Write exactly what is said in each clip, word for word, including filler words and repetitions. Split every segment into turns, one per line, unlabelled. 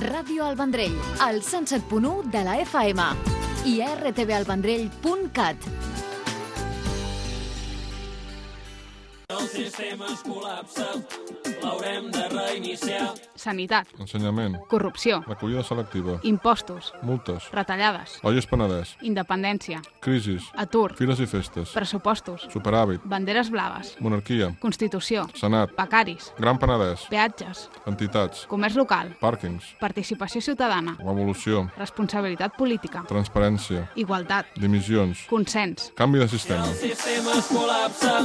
Ràdio El Vendrell, al cent set punt u de la F M i a r t v el vendrell punt cat.
El sistema es col·lapsa, l'haurem de reiniciar.
Sanitat,
ensenyament,
corrupció,
recollida selectiva,
impostos,
multes,
retallades,
Olles Penedès,
independència,
crisis,
atur,
fires i festes,
pressupostos,
superàvit,
banderes blaves,
monarquia,
Constitució,
Senat,
becaris,
Gran Penedès,
peatges,
entitats,
comerç local,
pàrquings,
participació ciutadana,
revolució,
responsabilitat política,
transparència,
igualtat,
dimissions,
consens,
canvi de sistema.
El sistema es col·lapsa,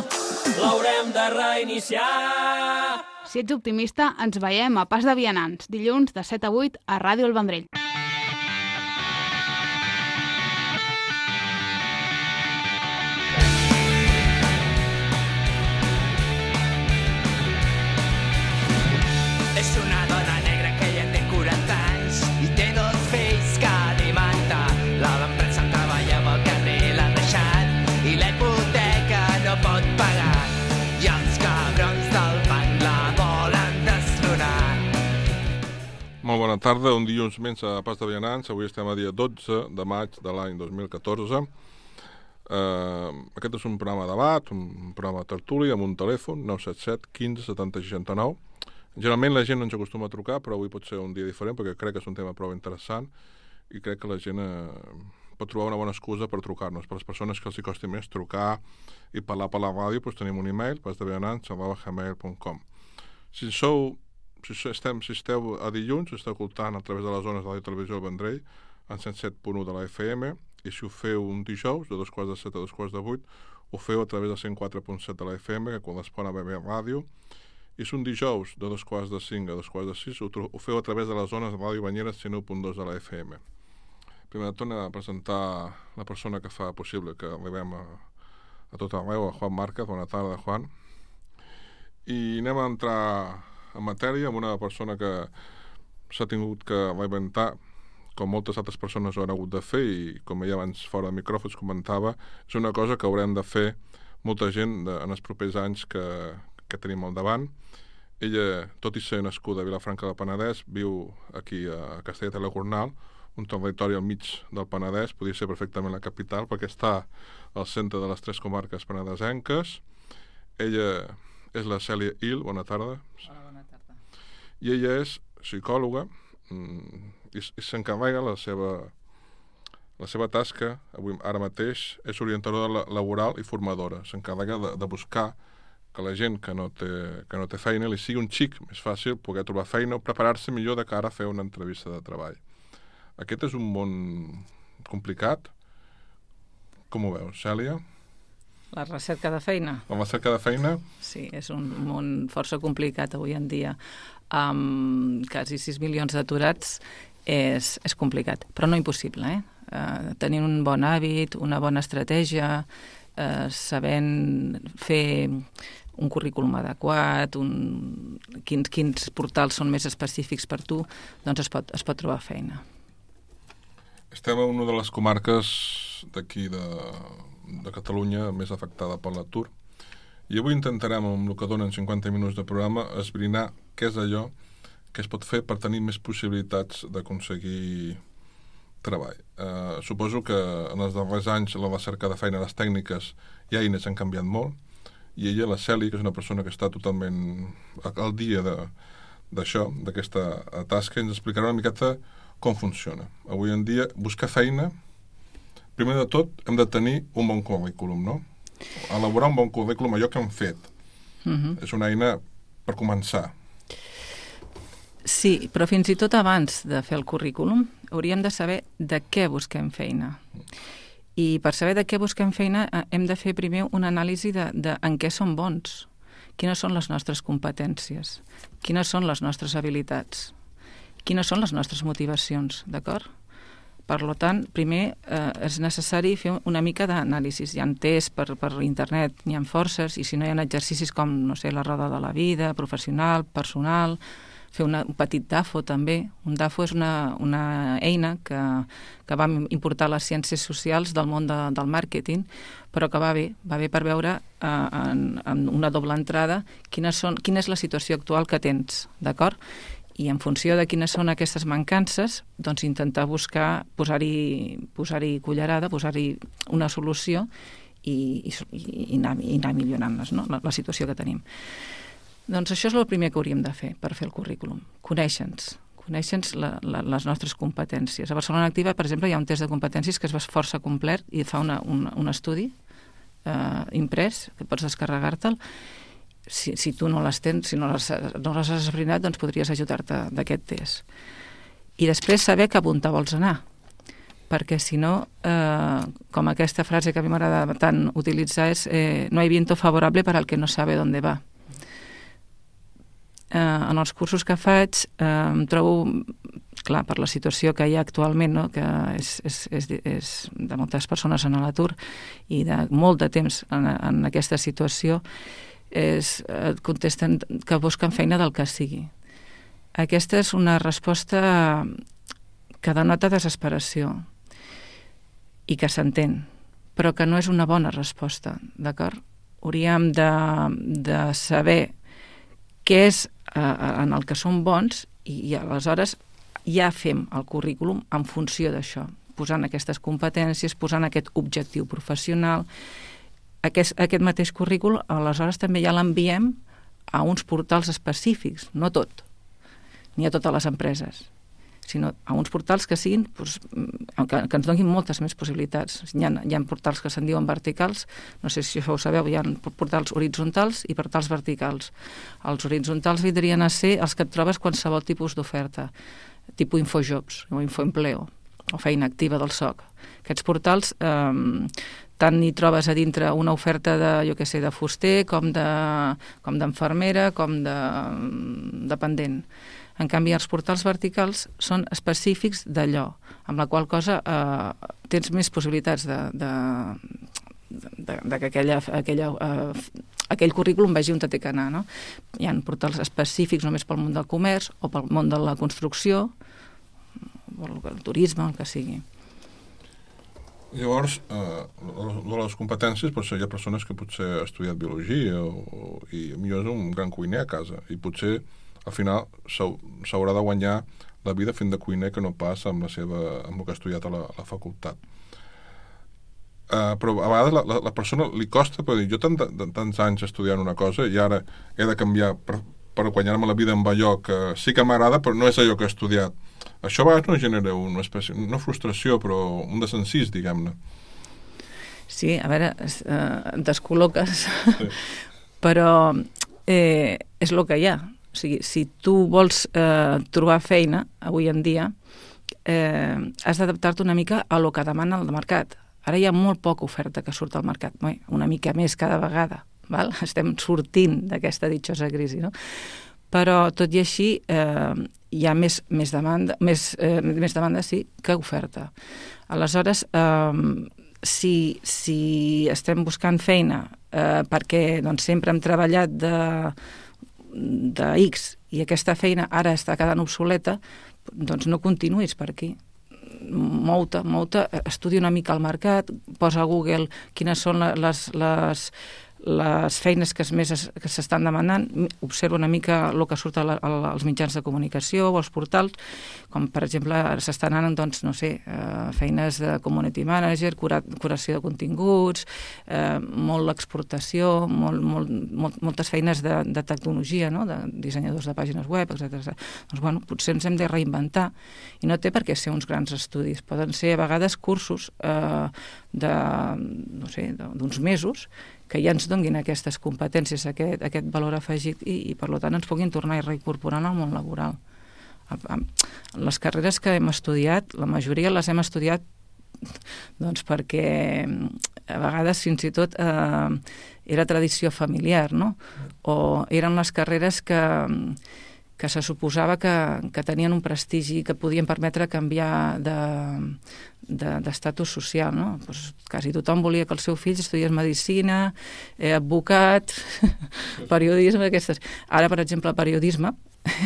l'haurem de reiniciar.
Si ets optimista, ens veiem a Pas de Vianants, dilluns de set a vuit a Ràdio El Vendrell.
És una dona negra que ja té quaranta anys i té dos fills que alimenta. La van prendre treballava al carrer i l'ha deixat i la hipoteca no pot pagar. I els cabrons del banc la volen destronar.
Molt bona tarda, un dilluns més a Pas de Vianants. Avui estem a dia dotze de maig de l'any dos mil catorze. Uh, aquest és un programa de debat, un programa de tertúlia amb un telèfon, nou set set quinze setanta seixanta nou. Generalment la gent no ens acostuma a trucar, però avui pot ser un dia diferent perquè crec que és un tema prou interessant i crec que la gent eh, pot trobar una bona excusa per trucar-nos. Per les persones que els hi costi més trucar i parlar per la ràdio, doncs tenim un e-mail, pasdevianants arroba gmail punt com. Si sou, si, estem, si esteu a dilluns, esteu escoltant a través de les zones de la televisió del Vendrell, en cent set punt u de la F M, i si ho feu un dijous, de dos quarts de set a dos quarts de vuit, ho feu a través de cent quatre punt set de la F M, que correspon a B B Ràdio, i si un dijous de dos quarts de cinc a dos quarts de sis ho, ho feu a través de les zones de Ràdio Banyeres cent u punt dos de la F M. Primer de tot a presentar la persona que fa possible que arribem a, a tot arreu, a Juan Márquez. Bona tarda, Juan. I anem a entrar en matèria amb una persona que s'ha tingut que reinventar, com moltes altres persones ho han hagut de fer, i com ja abans fora de micròfons comentava, és una cosa que haurem de fer molta gent de, en els propers anys que, que tenim al davant. Ella, tot i ser nascuda a Vilafranca del Penedès, viu aquí a Castellet de la Gornal, un territori al mig del Penedès, podria ser perfectament la capital, perquè està al centre de les tres comarques penedesenques. Ella és la Cèlia Il, bona tarda.
Hola, bona tarda.
I ella és psicòloga i, i s'encarrega la seva, la seva tasca, avui, ara mateix, és orientadora laboral i formadora. S'encarrega de, de buscar que la gent que no, té, que no té feina li sigui un xic més fàcil poder trobar feina o preparar-se millor de cara a fer una entrevista de treball. Aquest és un món complicat. Com ho veus, Cèlia?
La recerca de feina?
La recerca de feina?
Sí, és un món força complicat avui en dia. Amb quasi sis milions d'aturats és, és complicat, però no impossible, eh? Uh, tenint un bon hàbit, una bona estratègia, uh, sabent fer un currículum adequat, un... quins, quins portals són més específics per tu, doncs es pot, es pot trobar feina.
Estem en una de les comarques d'aquí de, de Catalunya més afectada per l'atur, i avui intentarem, amb el que donen cinquanta minuts de programa, esbrinar què és allò que es pot fer per tenir més possibilitats d'aconseguir treball. Eh, suposo que en els darrers anys la recerca de feina, les tècniques i eines han canviat molt, i ella, la Cèlia, que és una persona que està totalment al dia d'això, d'aquesta tasca, ens explicarà una miqueta com funciona. Avui en dia, buscar feina, primer de tot, hem de tenir un bon currículum, no? Elaborar un bon currículum, allò que hem fet. Uh-huh. És una eina per començar.
Sí, però fins i tot abans de fer el currículum hauríem de saber de què busquem feina. I per saber de què busquem feina hem de fer primer una anàlisi de, de en què som bons, quines són les nostres competències, quines són les nostres habilitats, quines són les nostres motivacions, d'acord? Per tant, primer eh, és necessari fer una mica d'anàlisis. Hi ha tests per, per internet, n'hi ha forces, i si no hi ha exercicis com, no sé, la roda de la vida, professional, personal, fer una, un petit D A F O també. Un D A F O és una, una eina que, que va importar les ciències socials del món de, del màrqueting, però que va bé, va bé per veure eh, en, en una doble entrada quines són, quina és la situació actual que tens, d'acord? I en funció de quines són aquestes mancances, doncs intentar buscar, posar-hi posar-hi cullerada, posar-hi una solució i, i, i, anar, i anar millorant-les, no? la, la situació que tenim. Doncs això és el primer que hauríem de fer per fer el currículum. Conèixer-nos, conèixer-nos la, la, les nostres competències. A Barcelona Activa, per exemple, hi ha un test de competències que es fa força complet i fa una, un, un estudi eh, imprès, que pots descarregar-te'l. Si, si tu no les tens, si no les, no les has esbrinat, doncs podries ajudar-te d'aquest test. I després saber cap on te vols anar, perquè si no, eh, com aquesta frase que a mi m'agrada tant utilitzar és eh, no hay viento favorable para el que no sabe dónde va. Eh, en els cursos que faig eh, em trobo, clar, per la situació que hi ha actualment, no? Que és, és, és, és de moltes persones en l'atur i de molt de temps en, en aquesta situació, és, et contesten que busquen feina del que sigui. Aquesta és una resposta que denota desesperació i que s'entén, però que no és una bona resposta, d'acord? Hauríem de, de saber què és eh, en el que som bons i, i aleshores ja fem el currículum en funció d'això, posant aquestes competències, posant aquest objectiu professional. Aquest, aquest mateix currícul, aleshores també ja l'enviem a uns portals específics, no tot, ni a totes les empreses, sinó a uns portals que siguin, doncs, que, que ens donin moltes més possibilitats. Hi ha, hi ha portals que se'n diuen verticals, no sé si això ho sabeu, hi ha portals horitzontals i portals verticals. Els horitzontals vindrien a ser els que et trobes qualsevol tipus d'oferta, tipus Infojobs o Infoempleo, o feina activa del S O C. Aquests portals eh, tant hi trobes a dintre una oferta de, jo què sé, de fuster, com de, com d'enfermera, com de dependent. En canvi, els portals verticals són específics d'allò, amb la qual cosa eh, tens més possibilitats de, de, de, de que aquella, aquella, eh, aquell currículum vegi on té que anar, no? Hi ha portals específics només pel món del comerç o pel món de la construcció, o el turisme, el que sigui.
Llavors, eh, de les competències, potser hi ha persones que potser han estudiat biologia o, o, i millor és un gran cuiner a casa i potser al final s'haurà de guanyar la vida fent de cuiner que no pas amb, la seva, amb el que ha estudiat a la, a la facultat. Eh, però a vegades la, la, la persona li costa, però dir, jo tant, tant, tants anys estudiant una cosa i ara he de canviar per, per guanyar-me la vida amb allò que sí que m'agrada però no és allò que he estudiat. Això a vegades no genera una espècie, no frustració, però un desencís, diguem-ne.
Sí, a veure, eh, et descol·loques, sí. Però eh, és el que hi ha. O sigui, si tu vols eh, trobar feina, avui en dia, eh, has d'adaptar-te una mica a lo que demana el mercat. Ara hi ha molt poca oferta que surt al mercat, una mica més cada vegada. Val? Estem sortint d'aquesta ditxosa crisi, no? Però tot i així eh, hi ha més, més, demanda, més, eh, més demanda sí, que oferta. Aleshores, eh, si, si estem buscant feina eh, perquè doncs, sempre hem treballat de, de X i aquesta feina ara està quedant obsoleta, doncs no continuïs per aquí. Mou-te, mou-te, estudia una mica el mercat, posa a Google quines són les... les les feines que més que s'estan demanant, observa una mica el que surt als mitjans de comunicació o als portals, com per exemple s'estan anant, doncs, no sé, eh, feines de community manager, cura, curació de continguts, eh, molt l'exportació, molt, molt, molt, moltes feines de, de tecnologia, no? De dissenyadors de pàgines web, etcètera. Doncs, bueno, potser ens hem de reinventar i no té per què ser uns grans estudis, poden ser a vegades cursos eh, de, no sé, d'uns mesos que ja ens donguin aquestes competències, aquest, aquest valor afegit i, i per tant ens puguin tornar a reincorporar al món laboral. Les carreres que hem estudiat, la majoria les hem estudiat doncs perquè a vegades fins i tot eh, era tradició familiar, no? O eren les carreres que, que se suposava que, que tenien un prestigi que podien permetre canviar de d'estatus social, no? Pues quasi tothom volia que el seu fill estudiés medicina, eh, advocat, periodisme, aquestes. Ara, per exemple, periodisme,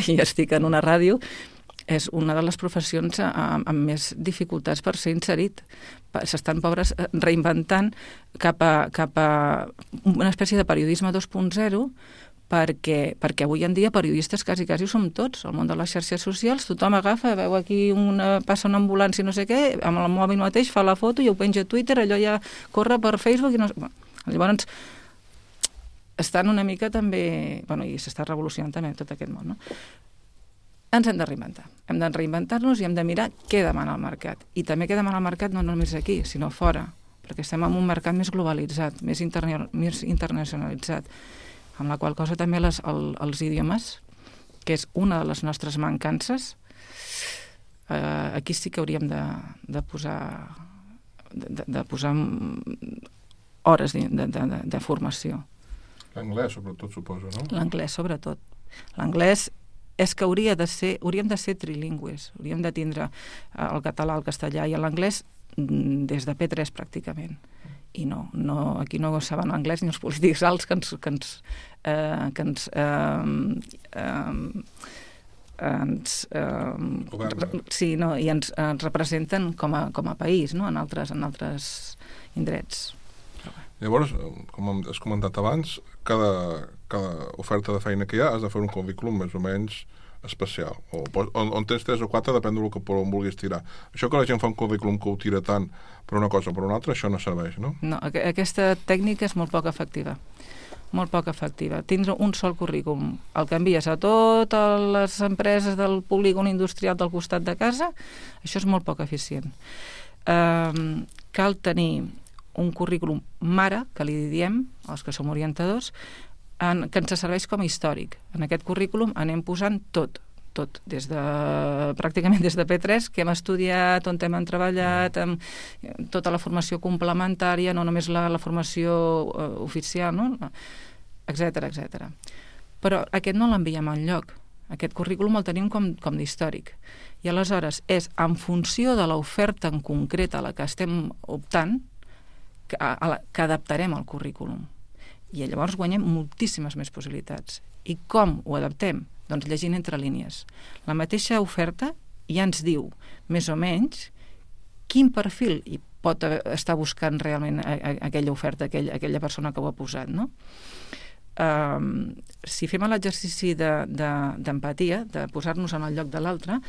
i estic en una ràdio, és una de les professions amb, amb més dificultats per ser inserit. S'estan, pobres, reinventant cap a, cap a una espècie de periodisme dos punt zero, perquè, perquè avui en dia periodistes quasi, quasi ho som tots. Al món de les xarxes socials tothom agafa, veu aquí una, passa una ambulància no sé què, amb el mòbil mateix fa la foto i ho penja a Twitter, allò ja corre per Facebook i no sé... Bueno, llavors estan una mica també... Bueno, i s'està revolucionant també tot aquest món, no? Ens hem de reinventar. Hem de reinventar-nos i hem de mirar què demana el mercat. I també què demana el mercat no només aquí, sinó fora, perquè estem en un mercat més globalitzat, més, interne, més internacionalitzat, amb la qual cosa també les, el, els idiomes, que és una de les nostres mancances, eh, aquí sí que hauríem de, de posar de, de posar hores de, de, de, de formació.
L'anglès, sobretot, suposo, no?
L'anglès, sobretot. L'anglès és que hauria de ser, hauríem de ser trilingües, hauríem de tindre el català, el castellà i l'anglès des de P tres pràcticament. I no, no, aquí no saben l'anglès ni els polítics alts que ens, que ens, eh, que ens, eh, eh, ens eh, sí, no, i ens, ens representen com a, com a país, no? en, altres, en altres indrets.
Llavors, com has comentat abans, cada, cada oferta de feina que hi ha has de fer un currículum més o menys especial, o on, on tens tres o quatre depèn del que per on vulguis tirar. Això que la gent fa un currículum que ho tira tant per una cosa o per una altra, això no serveix, no?
No, aqu aquesta tècnica és molt poc efectiva. Molt poc efectiva. Tindre un sol currículum, el que envies a totes les empreses del polígon industrial del costat de casa, això és molt poc eficient. Um, cal tenir un currículum mare, que li diem, els que som orientadors, en, que ens serveix com a històric. En aquest currículum anem posant tot, tot, des de, pràcticament des de P tres, que hem estudiat, on hem treballat, amb tota la formació complementària, no només la, la formació uh, oficial, no? etcètera, etcètera. Però aquest no l'enviem enlloc. Aquest currículum el tenim com, com d'històric. I aleshores és en funció de l'oferta en concret a la que estem optant que, a, a la, que adaptarem el currículum. I llavors guanyem moltíssimes més possibilitats. I com ho adaptem? Doncs llegint entre línies. La mateixa oferta ja ens diu, més o menys, quin perfil hi pot estar buscant realment a, a, aquella oferta, aquell, aquella persona que ho ha posat, no? Um, si fem l'exercici d'empatia, de, de, de posar-nos en el lloc de l'altre,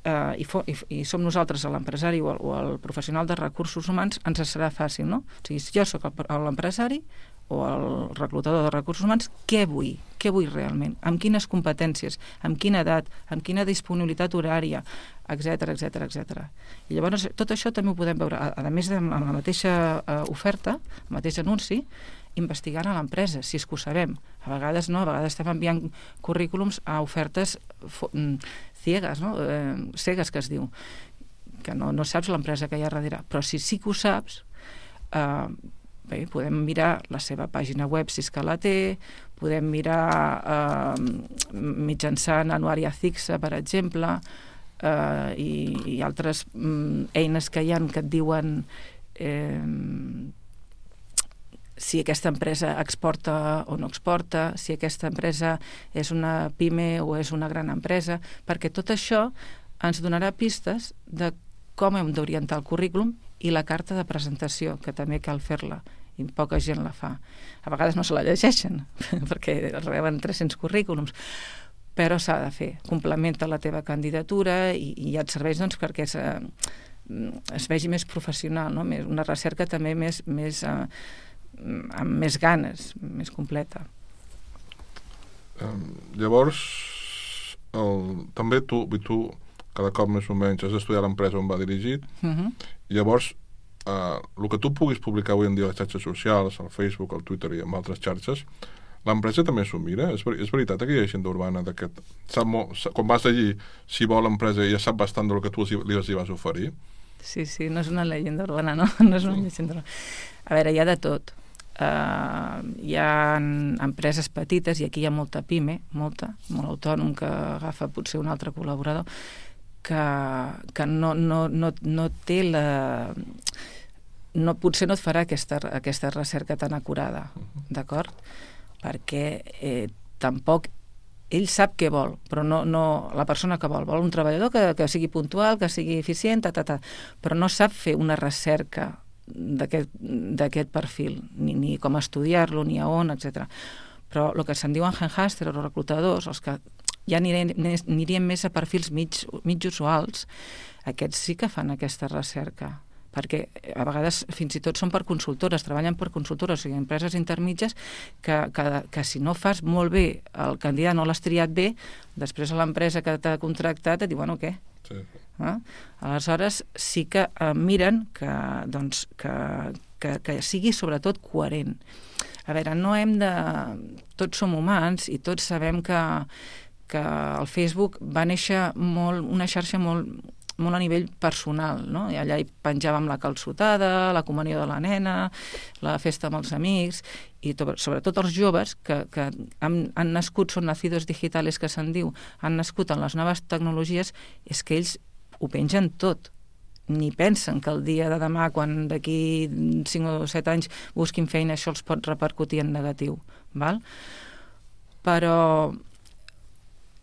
uh, i, i, i som nosaltres, l'empresari o, o el professional de recursos humans, ens serà fàcil, no? O sigui, si jo soc l'empresari o el reclutador de recursos humans, què vull? Què vull realment? Amb quines competències? Amb quina edat? Amb quina disponibilitat horària? Etcètera, etcètera, etcètera. I llavors tot això també ho podem veure, a, a més de la mateixa uh, oferta, el mateix anunci, investigant a l'empresa, si és que ho sabem. A vegades no, a vegades estem enviant currículums a ofertes ciegues, no? eh, cegues que es diu, que no, no saps l'empresa que hi ha darrere, però si sí que ho saps, eh, bé, podem mirar la seva pàgina web si és que la té, podem mirar eh, mitjançant Anuaria Cixa, per exemple, eh, i, i altres mm, eines que hi ha que et diuen eh, si aquesta empresa exporta o no exporta, si aquesta empresa és una pime o és una gran empresa, perquè tot això ens donarà pistes de com hem d'orientar el currículum i la carta de presentació, que també cal fer-la, i poca gent la fa. A vegades no se la llegeixen, perquè reben tres-cents currículums, però s'ha de fer. Complementa la teva candidatura i, i ja et serveix doncs, perquè es, es vegi més professional, no? Una recerca també més... més eh, amb més ganes, més completa.
Um, llavors, el, també tu, tu, cada cop més o menys, has d'estudiar l'empresa on va dirigit, uh-huh. Llavors, uh, el que tu puguis publicar avui en dia a les xarxes socials, al Facebook, al Twitter i en altres xarxes, l'empresa també s'ho mira? És, ver és veritat que hi ha llegenda urbana d'aquest... Quan vas allí, si vol l'empresa ja sap bastant del que tu li, li vas oferir?
Sí, sí, no és una llegenda urbana, no? No és una llegenda urbana. A veure, hi ha de tot. Uh, hi ha empreses petites, i aquí hi ha molta pime, molta, molt autònom, que agafa potser un altre col·laborador, que, que no, no, no, no té la... No, potser no et farà aquesta, aquesta recerca tan acurada, d'acord? Perquè eh, tampoc ell sap què vol, però no, no la persona que vol. Vol un treballador que, que sigui puntual, que sigui eficient, ta, ta, ta, però no sap fer una recerca d'aquest perfil, ni, ni com estudiar-lo, ni a on, etcètera. Però el que se'n diuen handhunters o reclutadors, els que ja anirien, anirien més a perfils mig, mitjos o alts, aquests sí que fan aquesta recerca, perquè a vegades fins i tot són per consultores, treballen per consultores, o sigui, empreses intermitges que, que, que si no fas molt bé el candidat, no l'has triat bé, després a l'empresa que t'ha contractat et diu, bueno, què? Sí. Eh? Aleshores sí que eh, miren que, doncs, que, que, que sigui sobretot coherent. A veure, no hem de... Tots som humans i tots sabem que, que el Facebook va néixer molt, una xarxa molt, molt a nivell personal, no? I allà hi penjàvem la calçotada, la comunió de la nena, la festa amb els amics, i to, sobretot els joves que, que han, han nascut, són nacidos digitales que se'n diu, han nascut en les noves tecnologies, és que ells ho pengen tot. Ni pensen que el dia de demà, quan d'aquí cinc o set anys busquin feina, això els pot repercutir en negatiu. Val? Però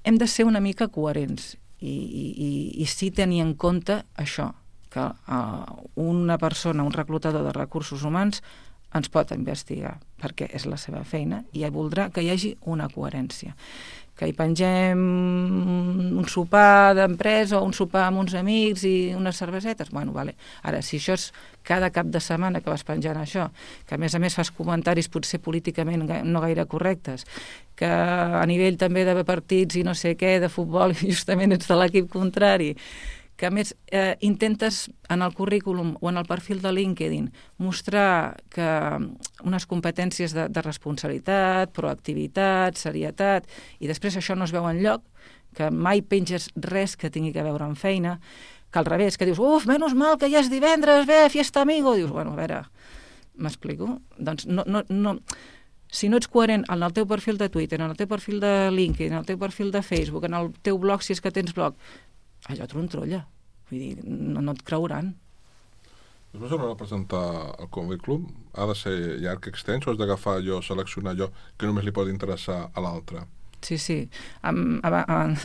hem de ser una mica coherents i, i, i sí tenir en compte això, que uh, una persona, un reclutador de recursos humans ens pot investigar, perquè és la seva feina i voldrà que hi hagi una coherència. Que hi pengem un sopar d'empresa o un sopar amb uns amics i unes cervesetes, bueno, vale. Ara, si això és cada cap de setmana que vas penjant això, que a més a més fas comentaris potser políticament no gaire correctes, que a nivell també de partits i no sé què, de futbol, justament ets de l'equip contrari, que a més eh, intentes en el currículum o en el perfil de LinkedIn mostrar que unes competències de, de responsabilitat, proactivitat, serietat, i després això no es veu enlloc, que mai penges res que tingui a veure amb feina, que al revés, que dius, uf, menys mal que ja és divendres, ve, fiesta amigo, dius, bueno, a veure, m'explico? Doncs no, no, no, si no ets coherent en el teu perfil de Twitter, en el teu perfil de LinkedIn, en el teu perfil de Facebook, en el teu blog, si és que tens blog, allò trontrolla. Vull dir, no, no et creuran.
Després a l'hora de presentar el currículum, ha de ser llarg, extens, o has d'agafar allò, seleccionar allò que només li pot interessar a l'altre?
Sí, sí. Am, am, am,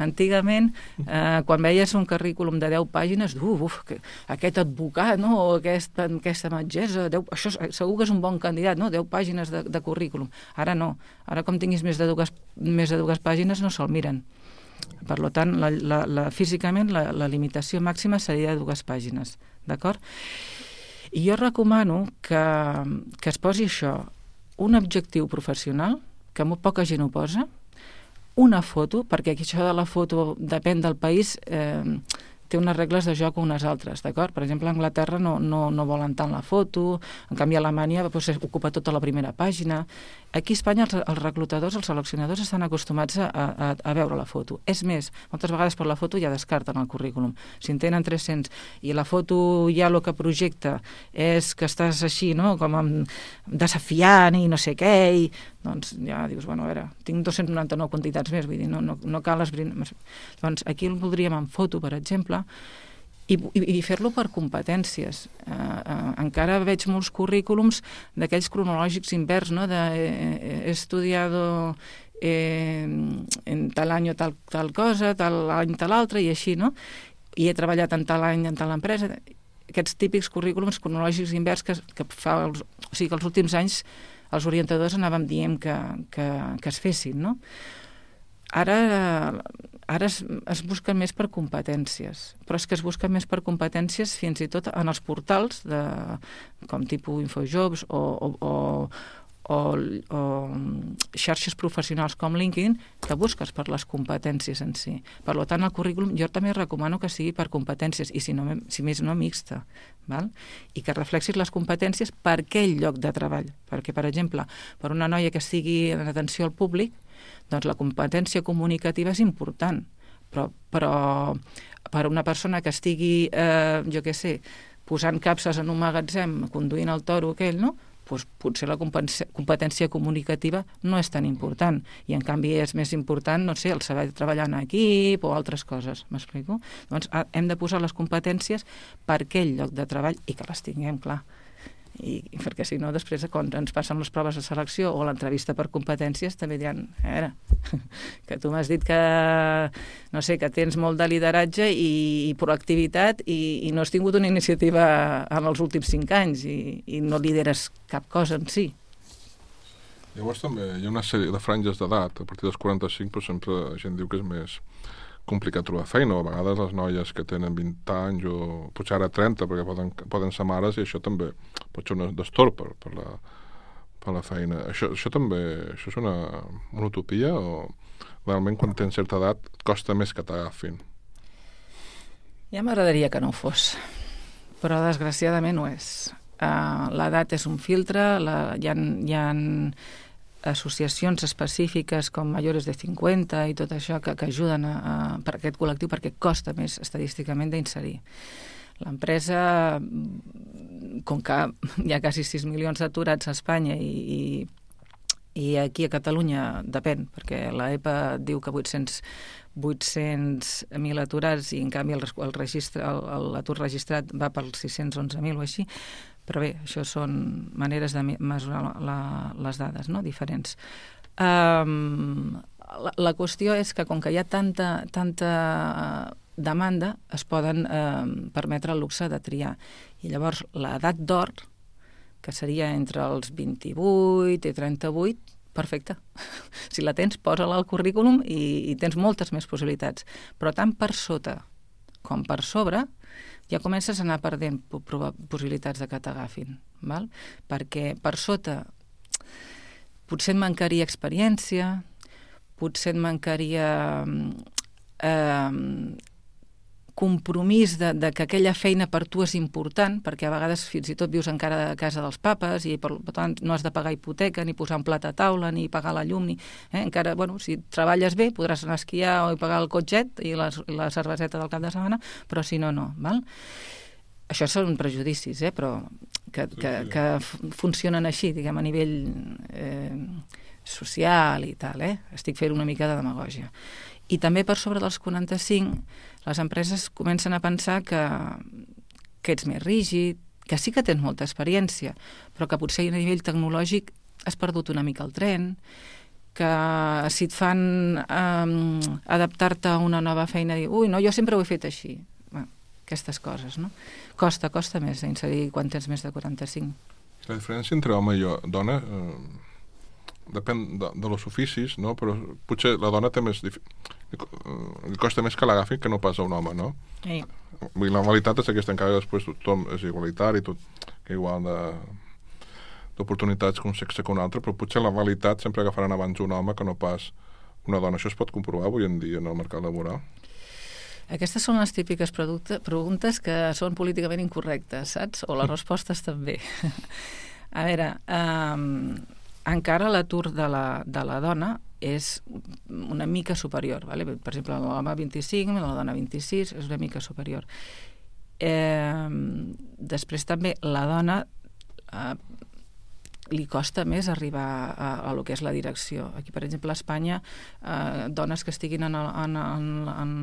antigament, eh, quan veies un currículum de deu pàgines, uf, uf, que, aquest advocat, no? O aquesta, aquesta metgessa, deu, això segur que és un bon candidat, no? deu pàgines de, de currículum. Ara no. Ara, com tinguis més de dues, més de dues pàgines, no se'l miren. Per tant, la, la, la, físicament la, la limitació màxima seria de dues pàgines, d'acord? I jo recomano que, que es posi això, un objectiu professional, que molt poca gent ho posa, una foto, perquè això de la foto depèn del país, eh, té unes regles de joc o unes altres, d'acord? Per exemple, a Anglaterra no, no, no volen tant la foto, en canvi a Alemanya doncs, ocupa tota la primera pàgina. Aquí a Espanya els, els reclutadors, els seleccionadors estan acostumats a, a, a veure la foto. És més, moltes vegades per la foto ja descarten el currículum. Si en tenen tres-cents i la foto ja el que projecta és que estàs així, no?, com amb, desafiant i no sé què, i doncs ja dius, bueno, a veure, tinc dos-cents noranta-nou quantitats més, vull dir, no, no, no cal esbrinar. Doncs aquí el voldríem en foto, per exemple, i, i, i fer-lo per competències. Uh, uh, encara veig molts currículums d'aquells cronològics invers, no?, de eh, he estudiado eh, en tal any tal, tal cosa, tal any tal altre, i així, no? I he treballat en tal any en tal empresa. Aquests típics currículums cronològics invers que, que fa els, o sigui, que els últims anys els orientadors anàvem dient que, que, que es fessin, no? Ara, ara es, es busquen més per competències, però és que es busquen més per competències fins i tot en els portals, de, com tipus Infojobs o, o, o, o, o xarxes professionals com LinkedIn, que busques per les competències en si. Per tant, el currículum jo també recomano que sigui per competències, i si, no, si més no, mixta, val? I que reflexis les competències per aquell lloc de treball. Perquè, per exemple, per una noia que estigui en atenció al públic, doncs la competència comunicativa és important, però, però per una persona que estigui, eh, jo què sé, posant capses en un magatzem, conduint el toro aquell, no?, doncs potser la competència comunicativa no és tan important, i en canvi és més important, no sé, el saber treballar en equip o altres coses, m'explico? Doncs hem de posar les competències per aquell lloc de treball i que les tinguem, clar. I perquè si no, després quan ens passen les proves de selecció o l'entrevista per competències també diran, a veure, que tu m'has dit que no sé, que tens molt de lideratge i, i proactivitat i, i no has tingut una iniciativa en els últims cinc anys i, i no lideres cap cosa en si.
Llavors també hi ha una sèrie de franges d'edat, a partir dels quaranta-cinc, però sempre la gent diu que és més complicat trobar feina, o a vegades les noies que tenen vint anys, o potser ara trenta, perquè poden, poden ser mares, i això també pot ser un destorb per, per, la, per la feina. Això, això també això és una, una utopia, o realment quan tens certa edat et costa més que t'agafin?
Ja m'agradaria que no ho fos, però desgraciadament ho és. Uh, l'edat és un filtre, la, hi ha, hi ha associacions específiques com Mayores de cinquanta i tot això que, que ajuden a, a, per aquest col·lectiu perquè costa més estadísticament d'inserir. L'empresa, com que hi ha quasi sis milions d'aturats a Espanya i, i, i aquí a Catalunya depèn, perquè l'EPA diu que vuit-cents mil aturats i en canvi el, el registre, el, l'atur registrat va pels sis-cents onze mil o així. Però bé, això són maneres de mesurar la, la, les dades, no?, diferents. Um, la, la qüestió és que com que hi ha tanta, tanta demanda, es poden um, permetre el luxe de triar. I llavors l'edat d'or, que seria entre els vint-i-vuit i trenta-vuit, perfecte. Si la tens, posa-la al currículum i, i tens moltes més possibilitats. Però tant per sota com per sobre, ja comences a anar perdent possibilitats de que t'agafin, val? Perquè per sota potser et mancaria experiència, potser et mancaria eh, compromís de, de que aquella feina per tu és important, perquè a vegades fins i tot vius encara a casa dels papes i per tant no has de pagar hipoteca, ni posar un plat a taula, ni pagar la llum, ni, eh? Encara, bueno, si treballes bé podràs anar a esquiar o pagar el cotxet i la, la cerveseta del cap de setmana, però si no, no, val? Això són prejudicis, eh? Però que, que, que funcionen així, diguem, a nivell eh, social i tal, eh? Estic fent una mica de demagògia. I també per sobre dels quaranta-cinc les empreses comencen a pensar que, que ets més rígid, que sí que tens molta experiència, però que potser a nivell tecnològic has perdut una mica el tren, que si et fan eh, adaptar-te a una nova feina, dir, ui, no, jo sempre ho he fet així. Bueno, aquestes coses, no? Costa, costa més inserir quan tens més de quaranta-cinc.
La diferència entre home i dona eh, depèn de, de los oficis, no? Però potser la dona té més... Dif... li costa més que l'agafin que no pas a un home, no?
Sí.
La realitat és aquesta, encara després tothom és igualitari, tot, que igual de d'oportunitats que un sexe que un altre, però potser la realitat sempre agafaran abans un home que no pas una dona. Això es pot comprovar avui en dia en el mercat laboral?
Aquestes són les típiques preguntes que són políticament incorrectes, saps? O les respostes també. A veure, um, encara l'atur de la, de la dona és una mica superior, vale? Per exemple, l'home vint-i-cinc, la dona vint-i-sis, és una mica superior. Eh, després també la dona eh, li costa més arribar a, a lo que és la direcció. Aquí, per exemple, a Espanya, eh, dones que estiguin en, en, en, en,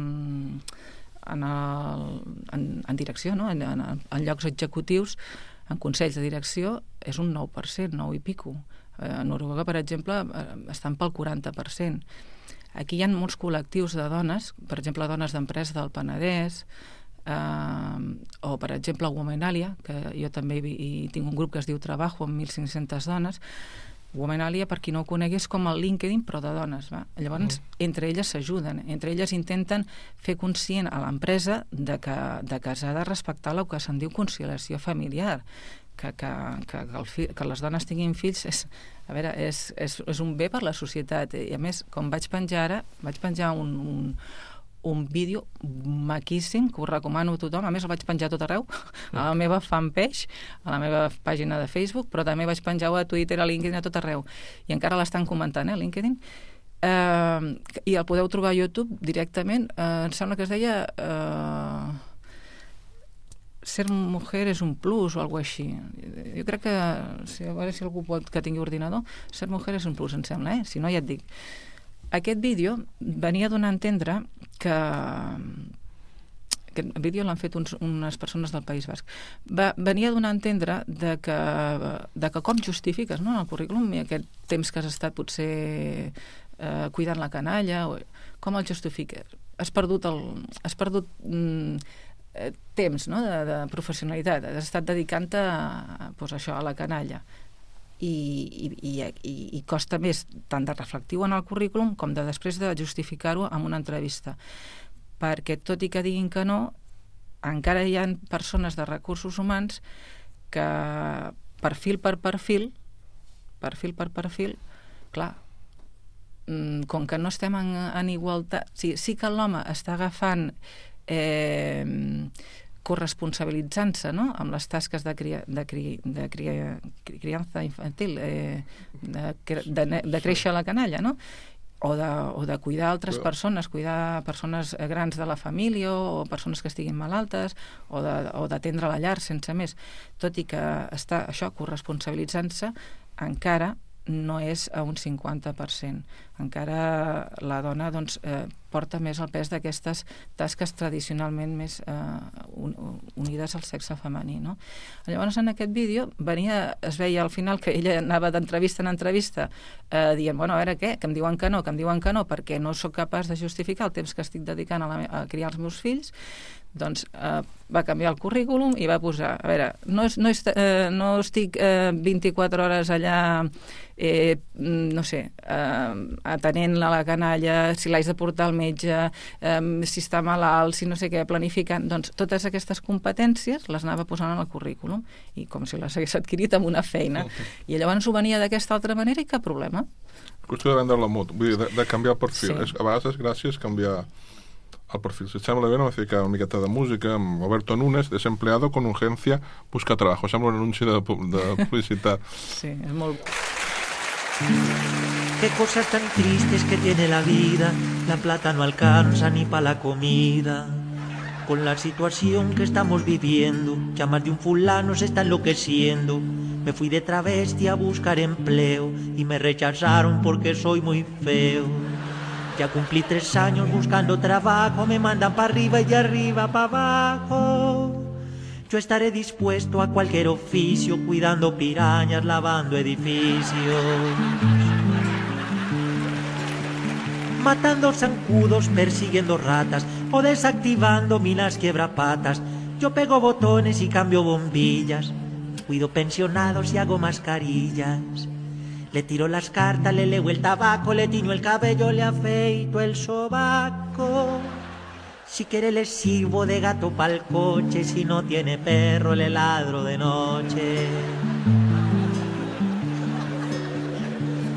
en, el, en, en direcció, no? en, en, en llocs executius, en consells de direcció, és un nou per cent, nou i pico. A Noruega, per exemple, estan pel quaranta per cent. Aquí hi ha molts col·lectius de dones, per exemple, dones d'empresa del Penedès, eh, o, per exemple, Womenalia, que jo també hi, hi tinc un grup que es diu Trabajo, amb mil cinc-centes dones. Womenalia, per qui no ho conegui, és com el LinkedIn, però de dones. Va? Llavors, mm. entre elles s'ajuden, entre elles intenten fer conscient a l'empresa de que, de que s'ha de respectar el que se'n diu conciliació familiar, que, que, que, que, el fi, que les dones tinguin fills és, a veure, és, és, és un bé per la societat. I a més, com vaig penjar ara, vaig penjar un, un, un vídeo maquíssim que us recomano a tothom. A més, el vaig penjar a tot arreu, a la meva fanpage, a la meva pàgina de Facebook, però també vaig penjar-ho a Twitter, a LinkedIn, a tot arreu. I encara l'estan comentant, eh, LinkedIn. Eh, I el podeu trobar a YouTube directament. Eh, em sembla que es deia... Eh, ser mujer és un plus o alguna cosa així. Jo crec que, si, a veure si algú pot que tingui ordinador, ser mujer és un plus, em sembla, eh? Si no, ja et dic. Aquest vídeo venia a donar a entendre que... Aquest vídeo l'han fet uns, unes persones del País Basc. Va, venia a donar a entendre de que, de que com justifiques, no?, en el currículum i aquest temps que has estat potser eh, cuidant la canalla, o, com el justifiques? Has perdut el... Has perdut... Mm, temps, no?, de, de professionalitat. Has estat dedicant-te a, pues, això, a la canalla. i, i, i, i costa més tant de reflectiu en el currículum com de després de justificar-ho en una entrevista. Perquè tot i que diguin que no, encara hi ha persones de recursos humans que perfil per perfil, perfil per perfil, clar, com que no estem en, en igualtat, sí, sí que l'home està agafant eh, corresponsabilitzant-se, no?, amb les tasques de, cria, de, cri, de cria, criança infantil, eh, de, de, de créixer la canalla, no?, o de, o de cuidar altres persones, cuidar persones grans de la família o persones que estiguin malaltes, o d'atendre la llar sense més. Tot i que està això corresponsabilitzant-se, encara no és a un cinquanta per cent. Encara la dona doncs, eh, porta més el pes d'aquestes tasques tradicionalment més eh, un, unides al sexe femení. No? Llavors, en aquest vídeo venia, es veia al final que ella anava d'entrevista en entrevista eh, dient, bueno, a veure què, que em diuen que no, que em diuen que no, perquè no sóc capaç de justificar el temps que estic dedicant a, la, a criar els meus fills. Doncs eh, va canviar el currículum i va posar, a veure, no, és, no, és, eh, no estic eh, vint-i-quatre hores allà, eh, no sé, eh, atenent a la canalla, si l'haig de portar al metge, eh, si està malalt, si no sé què, planificant, doncs totes aquestes competències les anava posant en el currículum i com si les hagués adquirit amb una feina. I llavors ho venia d'aquesta altra manera i cap problema.
Qüestió de vendre la moto, vull dir, de, de canviar el perfil.
Sí.
És, a vegades és gràcies canviar el perfil. Si et sembla bé, no me ficar una miqueta de música amb Roberto Núñez, desempleado con urgencia, busca trabajo. Sembla un anunci de, de publicitat.
Sí, és molt...
Qué cosas tan tristes que tiene la vida, la plata no alcanza ni para la comida. Con la situación que estamos viviendo, ya más de un fulano se está enloqueciendo. Me fui de travesti a buscar empleo y me rechazaron porque soy muy feo. Ya cumplí tres años buscando trabajo, me mandan para arriba y de arriba para abajo. Yo estaré dispuesto a cualquier oficio, cuidando pirañas, lavando edificios. Matando zancudos, persiguiendo ratas o desactivando minas quiebrapatas. Yo pego botones y cambio bombillas, cuido pensionados y hago mascarillas. Le tiro las cartas, le leo el tabaco, le tiño el cabello, le afeito el sobaco. Si quiere le sirvo de gato pa'l coche, si no tiene perro le ladro de noche.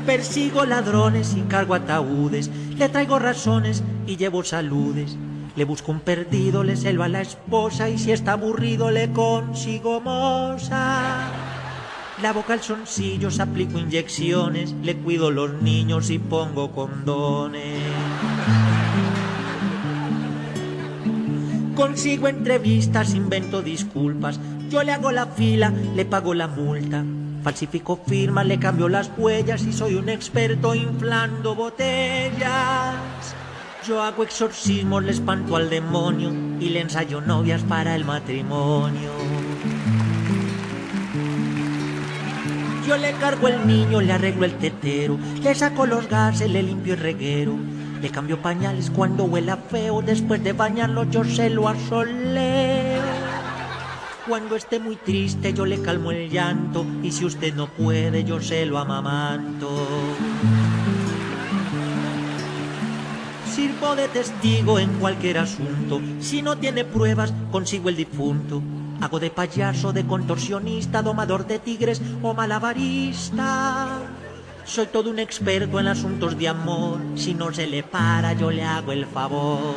Persigo ladrones y cargo ataúdes, le traigo razones y llevo saludes. Le busco un perdido, le celo a la esposa y si está aburrido le consigo moza. Lavo calzoncillos, aplico inyecciones, le cuido los niños y pongo condones. Consigo entrevistas, invento disculpas, yo le hago la fila, le pago la multa. Falsifico firmas, le cambio las huellas y soy un experto inflando botellas. Yo hago exorcismos, le espanto al demonio y le ensayo novias para el matrimonio. Yo le cargo el niño, le arreglo el tetero, le saco los gases, le limpio el reguero. Le cambio pañales cuando huela feo, después de bañarlo yo se lo asoleo. Cuando esté muy triste yo le calmo el llanto y si usted no puede yo se lo amamanto. Sirvo de testigo en cualquier asunto, si no tiene pruebas consigo el difunto. Hago de payaso, de contorsionista, domador de tigres o malabarista. Soy todo un experto en asuntos de amor, si no se le para yo le hago el favor.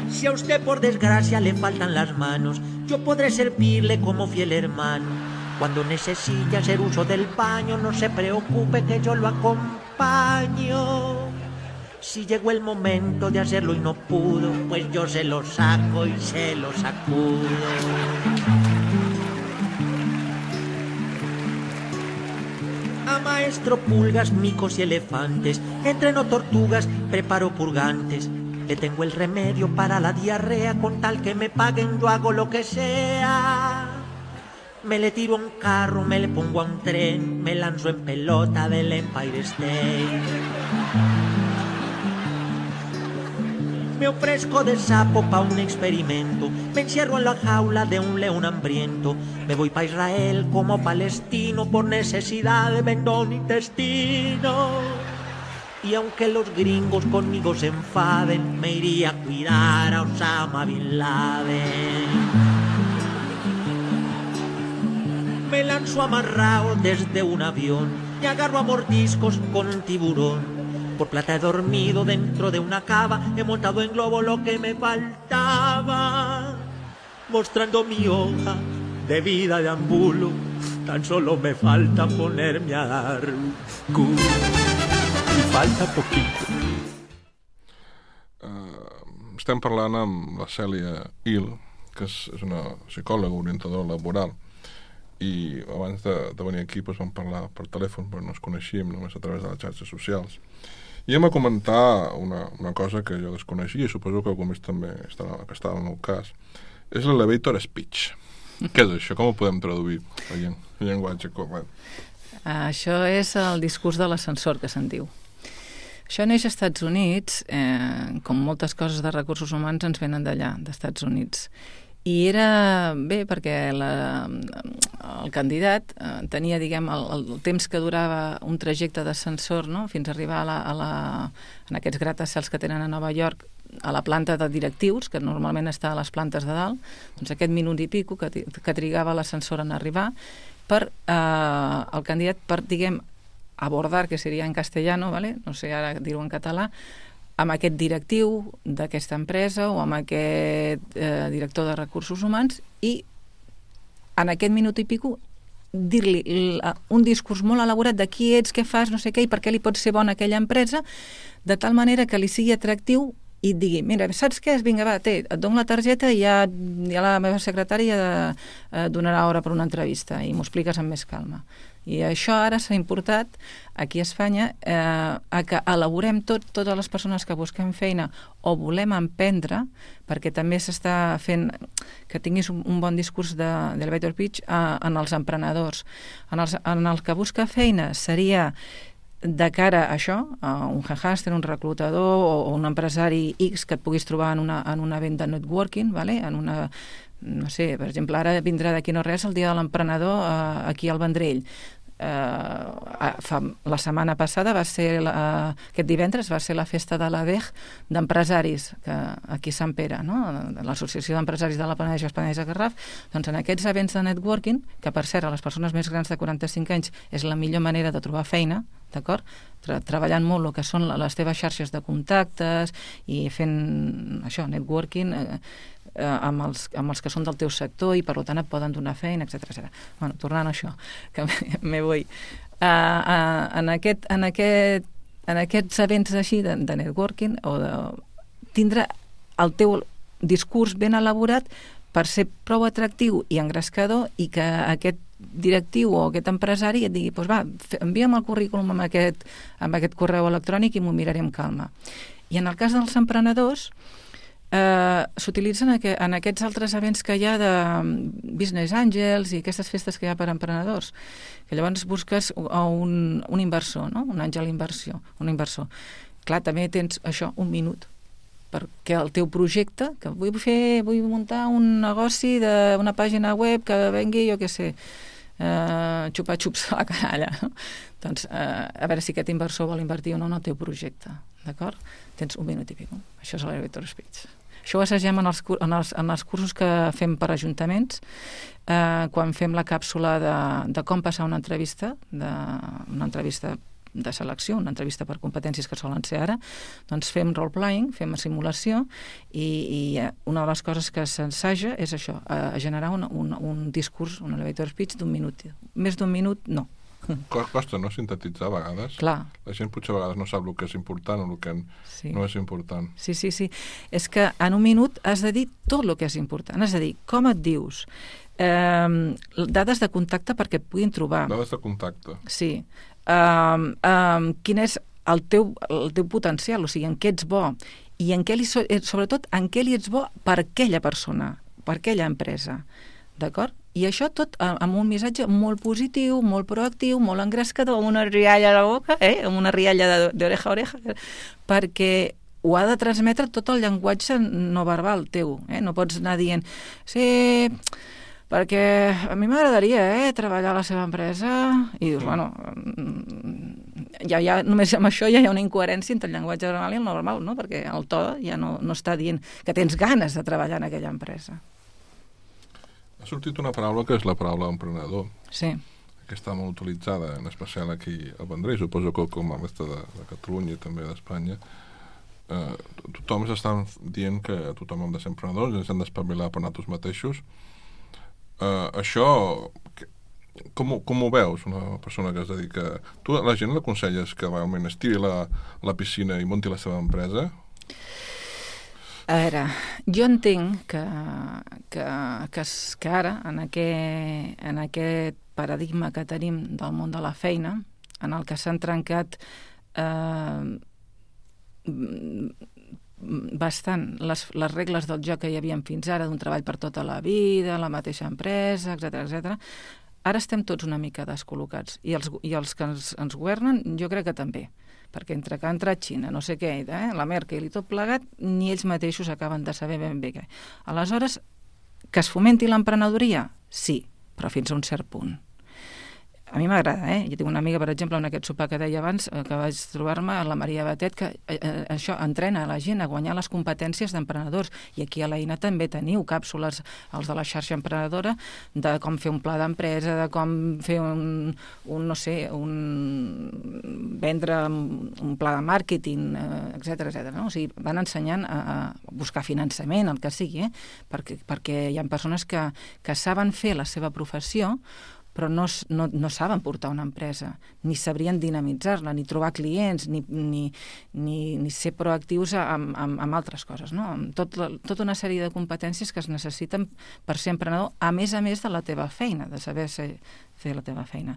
Si a usted por desgracia le faltan las manos, yo podré servirle como fiel hermano. Cuando necesite hacer uso del baño, no se preocupe que yo lo acompaño. Si llegó el momento de hacerlo y no pudo, pues yo se lo saco y se lo sacudo. A maestro pulgas, micos y elefantes, entreno tortugas, preparo purgantes. Le tengo el remedio para la diarrea, con tal que me paguen yo hago lo que sea. Me le tiro a un carro, me le pongo a un tren, me lanzo en pelota del Empire State. Me ofrezco de sapo pa un experimento, me encierro en la jaula de un león hambriento, me voy pa Israel como palestino, por necesidad vendo mi intestino. Y aunque los gringos conmigo se enfaden, me iría a cuidar a Osama Bin Laden. Me lanzo amarrado desde un avión y agarro a mordiscos con un tiburón. Por plata he dormido dentro de una cava, he montado en globo lo que me faltaba. Mostrando mi hoja de vida de ambulo, tan solo me falta ponerme a dar culo. Y falta poquito.
Uh, estem parlant amb la Cèlia Hill, que és, és una psicòloga orientadora laboral, i abans de, de venir aquí doncs, vam parlar per telèfon, però no ens coneixíem només a través de les xarxes socials. I hem a comentar una, una cosa que jo desconeixia i suposo que algú més també estarà, que estava en el cas. És l'elevator speech. Què és això? Com ho podem traduir en llenguatge corrent?
Això és el discurs de l'ascensor, que se'n diu. Això neix als Estats Units, eh, com moltes coses de recursos humans ens venen d'allà, d'Estats Units. I era bé perquè la, el candidat eh, tenia, diguem, el, el temps que durava un trajecte d'ascensor, no?, fins a arribar a la, a la, en aquests gratacels que tenen a Nova York, a la planta de directius, que normalment està a les plantes de dalt, doncs aquest minut i pico que, que trigava l'ascensor en arribar, per eh, el candidat per, diguem, abordar, que seria en castellano, ¿vale?, no sé ara dir-ho en català, amb aquest directiu d'aquesta empresa o amb aquest eh, director de recursos humans i en aquest minut i pico dir-li un discurs molt elaborat de qui ets, què fas, no sé què, i per què li pot ser bona aquella empresa, de tal manera que li sigui atractiu i et digui, mira, saps què? Vinga, va, té, et dono la targeta i ja, ja la meva secretària eh, donarà hora per una entrevista i m'ho expliques amb més calma. I això ara s'ha importat aquí a Espanya eh, a que elaborem tot, totes les persones que busquem feina o volem emprendre, perquè també s'està fent que tinguis un, un bon discurs de, d'elevator pitch eh, en els emprenedors. En, els, en el que busca feina seria de cara a això, a un headhunter, un reclutador o, o un empresari X que et puguis trobar en una, en una venda networking, ¿vale? En una, no sé, per exemple, ara vindrà d'aquí no res el dia de l'emprenedor eh, aquí al Vendrell. Uh, fa, la setmana passada va ser la, uh, aquest divendres va ser la festa de l'A D E G d'empresaris que, aquí a Sant Pere, no? L'Associació d'Empresaris de la Penedès Penedès Garraf. Doncs en aquests events de networking, que per cert a les persones més grans de quaranta-cinc anys és la millor manera de trobar feina, d'acord? Tra treballant molt el que són les teves xarxes de contactes i fent això, networking eh, eh, amb, els, amb els que són del teu sector i per tant et poden donar feina, etcètera etcètera. Bueno, tornant a això, que me vull. Uh, uh, en, aquest, en, aquest, en aquests events així de, de networking o de tindre el teu discurs ben elaborat per ser prou atractiu i engrescador i que aquest directiu o aquest empresari et digui, doncs va, envia'm el currículum amb aquest, amb aquest correu electrònic i m'ho miraré amb calma. I en el cas dels emprenedors eh, s'utilitzen en aquests altres events que hi ha de Business Angels i aquestes festes que hi ha per emprenedors, que llavors busques un, un inversor, no? Un àngel inversió, un inversor. Clar, també tens això, un minut, perquè el teu projecte, que vull fer, vull muntar un negoci d'una pàgina web que vengui, jo què sé, eh, xupa-xups a la canalla, no? Doncs eh, a veure si aquest inversor vol invertir o no en el teu projecte, d'acord? Tens un minut i pico. Això és l'elevator speech. Això ho assagem en els, en, els, en els cursos que fem per ajuntaments, eh, quan fem la càpsula de, de com passar una entrevista, de, una entrevista de selecció, una entrevista per competències que solen ser ara, doncs fem role-playing, fem simulació i, i una de les coses que s'ensaja és això, a, a generar un, un, un discurs, un elevator speech d'un minut. Més d'un minut, no.
Costa, no, sintetitzar a vegades.
Clar.
La gent potser a vegades no sap el que és important o el que sí. no és important.
Sí, sí, sí. És que en un minut has de dir tot el que és important. Has de dir com et dius, eh, dades de contacte perquè et puguin trobar.
Dades de contacte.
Sí. Um, um, quin és el teu, el teu potencial, o sigui, en què ets bo i en què li, sobretot en què li ets bo per aquella persona, per aquella empresa, d'acord? I això tot amb un missatge molt positiu, molt proactiu, molt engrescador, amb una rialla a la boca, eh? Amb una rialla d'oreja a oreja, perquè ho ha de transmetre tot el llenguatge no verbal teu, eh? No pots anar dient sí, perquè a mi m'agradaria eh, treballar a la seva empresa i dius, bueno, ja, ja, només amb això ja hi ha una incoherència entre el llenguatge verbal i el no verbal, no? Perquè el to ja no, no està dient que tens ganes de treballar en aquella empresa.
Ha sortit una paraula que és la paraula emprenedor.
Sí.
Que està molt utilitzada, en especial aquí al Vendrell, suposo que com a resta de, de Catalunya i també d'Espanya. Eh, tothom s'està dient que tothom hem de ser emprenedors, ens hem d'espavilar per nosaltres mateixos. Eh, això, que, com, com ho veus, una persona que es dedica... Tu a la gent l'aconselles que realment estiri la, la piscina i munti la seva empresa?
A veure, jo entenc que, que, que, que ara, en aquest, en aquest paradigma que tenim del món de la feina, en el que s'han trencat eh, bastant les, les regles del joc que hi havia fins ara, d'un treball per tota la vida, la mateixa empresa, etcètera, etcètera. Ara estem tots una mica descol·locats. I els, i els que ens, ens governen, jo crec que també. Perquè entre que ha entrat Xina, no sé què, eh, la Merkel i tot plegat, ni ells mateixos acaben de saber ben bé què. Aleshores, que es fomenti l'emprenedoria? Sí, però fins a un cert punt. A mi m'agrada, eh? Jo tinc una amiga, per exemple, en aquest sopar que deia abans, eh, que vaig trobar-me, la Maria Batet, que eh, eh, això entrena la gent a guanyar les competències d'emprenedors. I aquí a l'Eina també teniu càpsules, els de la xarxa emprenedora, de com fer un pla d'empresa, de com fer un, un no sé, un... vendre un pla de màrqueting, eh, etcètera, etcètera. No? O sigui, van ensenyant a, a buscar finançament, el que sigui, eh? perquè, perquè hi ha persones que, que saben fer la seva professió, però no, no, no saben portar una empresa, ni sabrien dinamitzar-la, ni trobar clients, ni, ni, ni, ni ser proactius amb, amb, amb altres coses, no? Amb tot, tota una sèrie de competències que es necessiten per ser emprenedor, a més a més de la teva feina, de saber ser, fer la teva feina.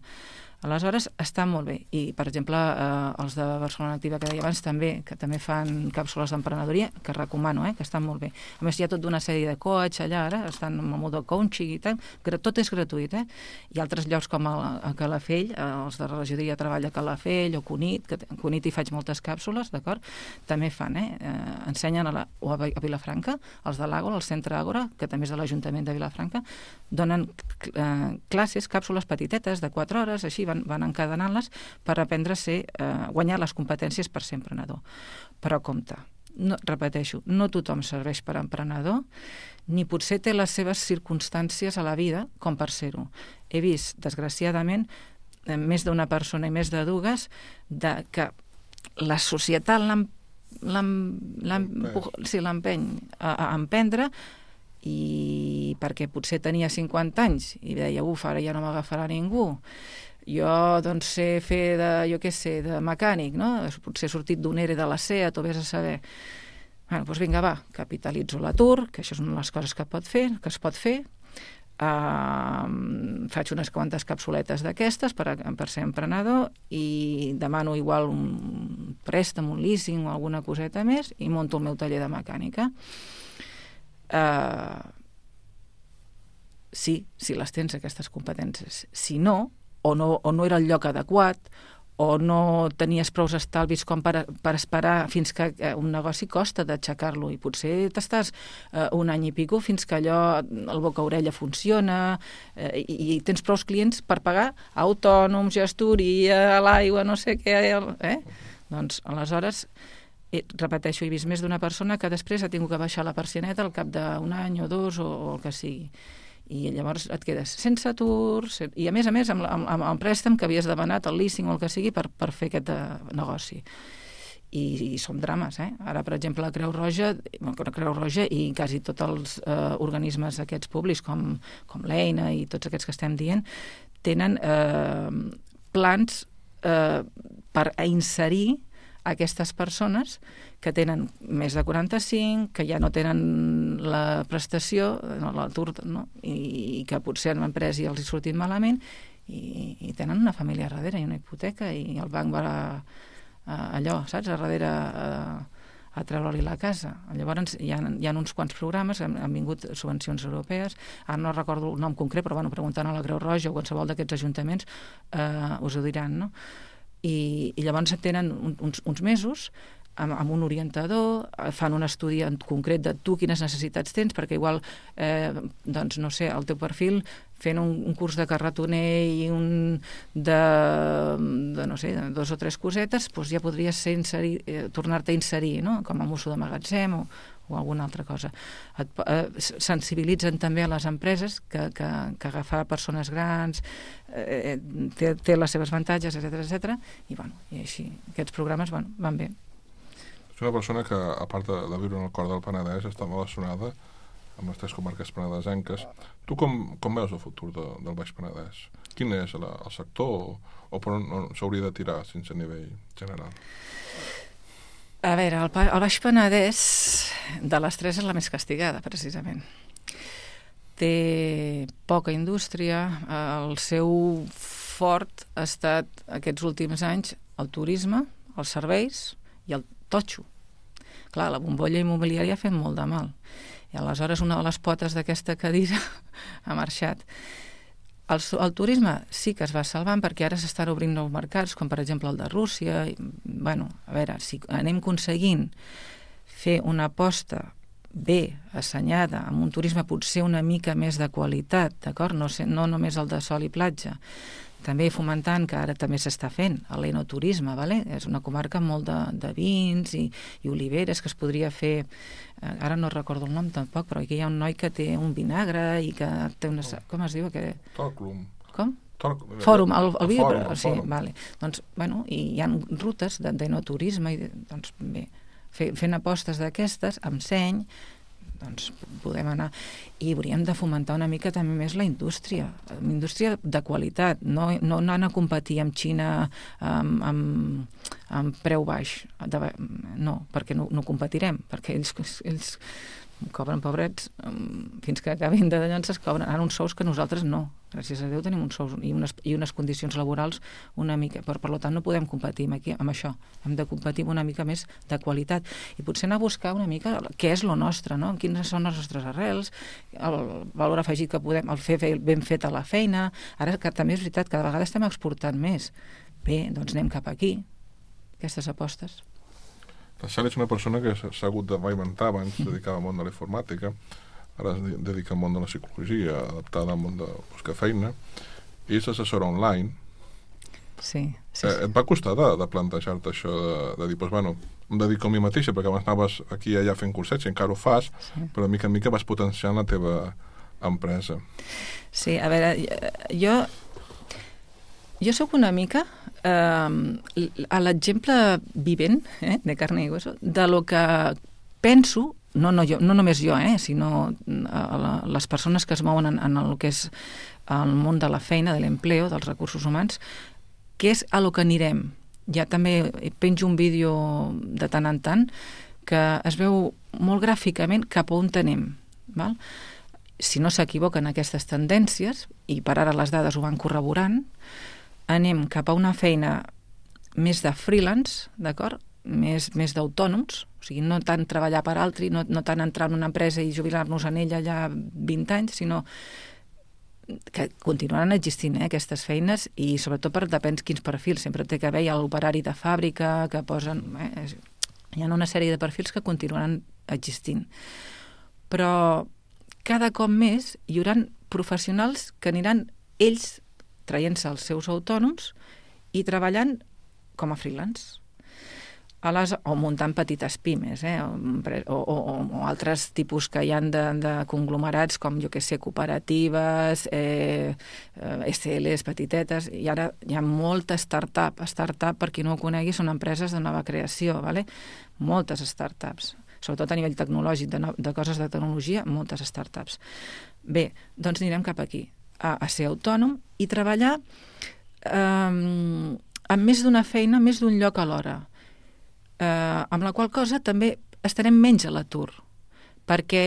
Aleshores, està molt bé. I, per exemple, eh, els de Barcelona Activa, que deia abans, també, que també fan càpsules d'emprenedoria, que recomano, eh, que estan molt bé. A més, hi ha tota una sèrie de coach allà, ara, estan amb el model coaching i tal, tot és gratuït, eh? Hi ha altres llocs com a, a Calafell, eh, els de regidoria treballa a Calafell o Cunit, que a Cunit hi faig moltes càpsules, d'acord? També fan, eh? eh ensenyen a, la, o a Vilafranca, els de l'Àgora, el Centre Àgora, que també és de l'Ajuntament de Vilafranca, donen eh, classes, càpsules petitetes de quatre hores, així, van, van encadenant-les per aprendre a ser, eh, guanyar les competències per ser emprenedor. Però compte, no, repeteixo, no tothom serveix per emprenedor, ni potser té les seves circumstàncies a la vida com per ser-ho. He vist, desgraciadament, més d'una persona i més de dues, de que la societat l'empeny a, a emprendre, i perquè potser tenia cinquanta anys i deia, uf, ara ja no m'agafarà ningú. Jo, doncs, sé fer de, jo què sé, de mecànic, no? Potser he sortit d'un ERE de la SEAT, o vés a saber. Bueno, doncs vinga, va, capitalitzo l'atur, que això és una de les coses que pot fer, que es pot fer. Uh, faig unes quantes capsuletes d'aquestes per, per ser emprenedor i demano igual un préstec, un leasing o alguna coseta més i monto el meu taller de mecànica. Uh, sí, si les tens aquestes competències. Si no, o no, o no era el lloc adequat, o no tenies prou estalvis com per, per esperar fins que un negoci costa d'aixecar-lo, i potser t'estàs eh, un any i pico fins que allò, el boca-orella funciona, eh, i, i tens prou clients per pagar autònoms, gestoria, l'aigua, no sé què, eh? Doncs, aleshores, eh, repeteixo, he vist més d'una persona que després ha tingut que baixar la persianeta al cap d'un any o dos, o, o el que sigui. I llavors et quedes sense atur, i a més a més amb, amb, amb el préstec que havies demanat, el leasing o el que sigui, per, per fer aquest uh, negoci. I, i són drames, eh? Ara, per exemple, la Creu Roja, la Creu Roja i quasi tots els uh, organismes aquests públics, com, com l'Eina i tots aquests que estem dient, tenen uh, plans uh, per inserir aquestes persones que tenen més de quaranta-cinc, que ja no tenen la prestació, no, l'atur, no? I, i que potser han emprès i els hi sortit malament, i, i tenen una família a darrere i una hipoteca, i el banc va a, a, allò, saps, a darrere a, a treure-li la casa. Llavors hi ha, hi ha uns quants programes, han, han vingut subvencions europees, ara no recordo el nom concret, però bueno, preguntant a la Creu Roja o qualsevol d'aquests ajuntaments eh, us ho diran, no? I, i llavors tenen uns, uns mesos amb, amb un orientador, fan un estudi en concret de tu quines necessitats tens, perquè igual, eh, doncs, no sé, el teu perfil fent un, un curs de carretoner i un de, de no sé, de dos o tres cosetes, doncs ja podries ser inserir, eh, tornar-te a inserir, no? Com a mosso de magatzem o, o alguna altra cosa. Et, eh, sensibilitzen també a les empreses que, que, que agafar persones grans eh, té, té les seves avantatges, etcètera, etcètera, i, bueno, i així, aquests programes bueno, van bé.
És una persona que, a part de, de viure en el cor del Penedès, està relacionada amb les tres comarques penedesenques. Tu com, com veus el futur de, del Baix Penedès? Quin és la, el sector o, o per on s'hauria de tirar sense nivell general?
A veure, el, el Baix Penedès de les tres és la més castigada, precisament. Té poca indústria, el seu fort ha estat aquests últims anys el turisme, els serveis i el totxo. Clar, la bombolla immobiliària ha fet molt de mal. I aleshores una de les potes d'aquesta cadira ha marxat. El, el turisme sí que es va salvant perquè ara s'estan obrint nous mercats, com per exemple el de Rússia. I, bueno, a veure, si anem aconseguint fer una aposta bé assenyada, amb un turisme potser una mica més de qualitat, d'acord? No, no només el de sol i platja, també fomentant, que ara també s'està fent, l'enoturisme, vale? És una comarca amb molt de, de vins i, i oliveres que es podria fer, eh, ara no recordo el nom tampoc, però aquí hi ha un noi que té un vinagre i que té una... Oh. Com es diu? Que...
Torclum.
Com?
Torc...
Fòrum, el, el, el vídeo,
fòrum,
però, sí, fòrum. Vale. Doncs, bueno, i hi ha rutes d'enoturisme, i doncs bé, fent apostes d'aquestes, amb seny, doncs podem anar, i hauríem de fomentar una mica també més la indústria, una indústria de qualitat, no, no anar a competir amb Xina amb, amb, amb preu baix, de, no, perquè no, no competirem, perquè ells, ells cobren pobrets, fins que acabin de llançar cobren ara uns sous que nosaltres no, gràcies a Déu tenim uns sous i unes, i unes condicions laborals una mica, per, per tant no podem competir amb, aquí, amb això, hem de competir una mica més de qualitat, i potser anar a buscar una mica què és lo nostre, no? Quines són les nostres arrels, el valor afegit que podem, el fer ben fet a la feina, ara que també és veritat, cada vegada estem exportant més, bé, doncs anem cap aquí, aquestes apostes.
La Sally és una persona que s'ha hagut de reinventar, abans es dedicava al món de la informàtica, ara es dedica al món de la psicologia, adaptada al món de buscar feina, i és assessora online.
Sí, sí,
eh,
sí.
Et va costar de, de plantejar-te això, de, de dir, doncs, bueno, em dedico a mi mateixa, perquè abans anaves aquí i allà fent cursets, i encara ho fas, sí. Però de mica en mica vas potenciant la teva empresa.
Sí, a veure, jo... Jo sóc una mica eh, a l'exemple vivent, eh, de carne i hueso, de lo que penso, no, no, jo, no només jo, eh, sinó a la, les persones que es mouen en, en el que és el món de la feina, de l'empleo, dels recursos humans, que és a lo que anirem. Ja també penjo un vídeo de tant en tant que es veu molt gràficament cap a on anem, val? Si no s'equivoquen aquestes tendències, i per ara les dades ho van corroborant, anem cap a una feina més de freelance, d'acord? Més, més d'autònoms, o sigui, no tant treballar per altri, no, no tant entrar en una empresa i jubilar-nos en ella allà vint anys, sinó que continuaran existint, eh, aquestes feines, i sobretot per depèn quins perfils. Sempre té que haver l'operari de fàbrica que posen... Eh, hi ha una sèrie de perfils que continuaran existint. Però cada cop més hi haurà professionals que aniran ells traient-se els seus autònoms i treballant com a freelance. A les, o muntant petites pimes, eh? o, o, o altres tipus que hi ha de, de conglomerats com, jo que sé, cooperatives, eh, S Ls petitetes, i ara hi ha molta start-up. Start-up, per qui no ho conegui, són empreses de nova creació, vale? Moltes start-ups, sobretot a nivell tecnològic, de, no, de coses de tecnologia, moltes start-ups. Bé, doncs anirem cap aquí, a, a ser autònom i treballar eh, amb més d'una feina, més d'un lloc alhora. Eh, amb la qual cosa també estarem menys a l'atur, perquè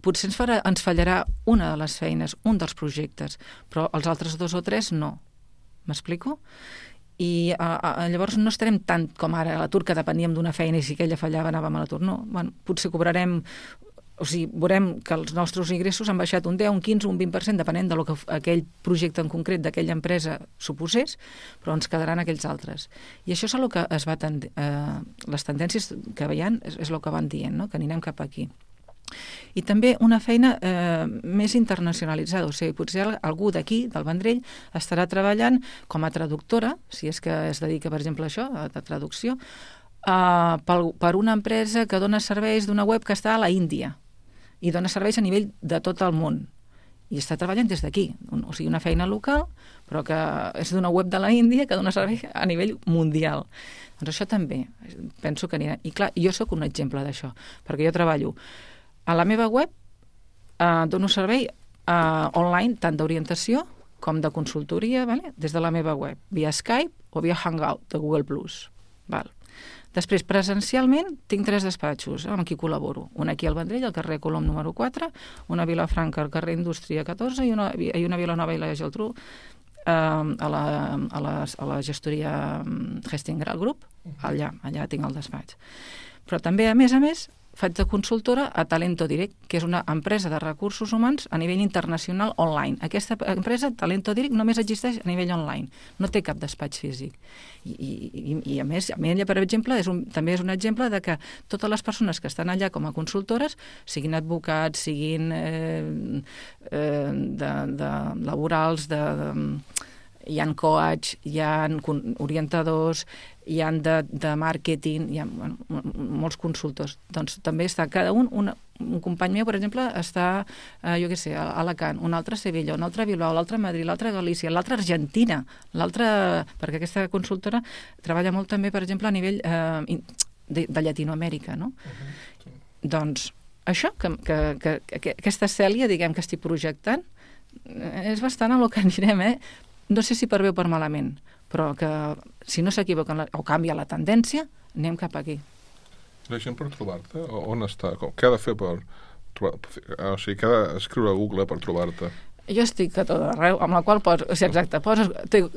potser ens, farà, ens fallarà una de les feines, un dels projectes, però els altres dos o tres no. M'explico? I a, a, llavors no estarem tant com ara a l'atur, que depeníem d'una feina i si aquella fallava anàvem a l'atur. No, bueno, potser cobrarem o sigui, veurem que els nostres ingressos han baixat un deu, un quinze, un vint per cent, depenent del que aquell projecte en concret d'aquella empresa suposés, però ens quedaran aquells altres. I això és el que es va tend... eh, les tendències que veiem és, és el que van dient, no? Que anirem cap aquí. I també una feina eh, més internacionalitzada, o sigui, potser algú d'aquí, del Vendrell, estarà treballant com a traductora, si és que es dedica, per exemple, a això, a la traducció, eh, per, per una empresa que dona serveis d'una web que està a la Índia i dona serveis a nivell de tot el món. I està treballant des d'aquí, o sigui, una feina local, però que és d'una web de la Índia que dona servei a nivell mundial. Doncs això també, penso que anirà. I clar, jo sóc un exemple d'això, perquè jo treballo a la meva web, eh, dono servei eh, online tant d'orientació com de consultoria, vale? Des de la meva web, via Skype o via Hangout de Google plus. Val. Després, presencialment, tinc tres despatxos amb qui col·laboro. Un aquí al Vendrell, al carrer Colom número quatre, una a Vilafranca, al carrer Indústria catorze, i una, i una a Vilanova i la Geltrú, eh, a, la, a, la, a la gestoria Hestingral Group. Allà, allà tinc el despatx. Però també, a més a més, faig de consultora a Talento Direct, que és una empresa de recursos humans a nivell internacional online. Aquesta empresa, Talento Direct, només existeix a nivell online. No té cap despatx físic. I, i, i a més, a mi ella, per exemple, és un, també és un exemple de que totes les persones que estan allà com a consultores, siguin advocats, siguin eh, eh, de, de laborals, de... de hi ha coach, hi ha orientadors, hi ha de, de màrqueting, hi ha bueno, molts consultors. Doncs també està cada un, una, un company meu, per exemple, està, eh, jo què sé, a Alacant, un altre a Sevilla, un altre a Bilbao, l'altre a Madrid, l'altre a Galícia, l'altre a Argentina, l'altre, perquè aquesta consultora treballa molt també, per exemple, a nivell eh, de, de Llatinoamèrica, no? Uh-huh. Sí. Doncs això, que, que, que, que aquesta Cèlia, diguem, que estic projectant, és bastant a lo que anirem, eh? No sé si per bé o per malament, però que si no s'equivoquen o canvia la tendència, anem cap aquí.
La gent per trobar-te, on està? Què ha de fer per trobar? O sigui, què ha d'escriure a Google per trobar-te?
Jo estic a tot arreu, amb la qual poses, o sigui, exacte, poses,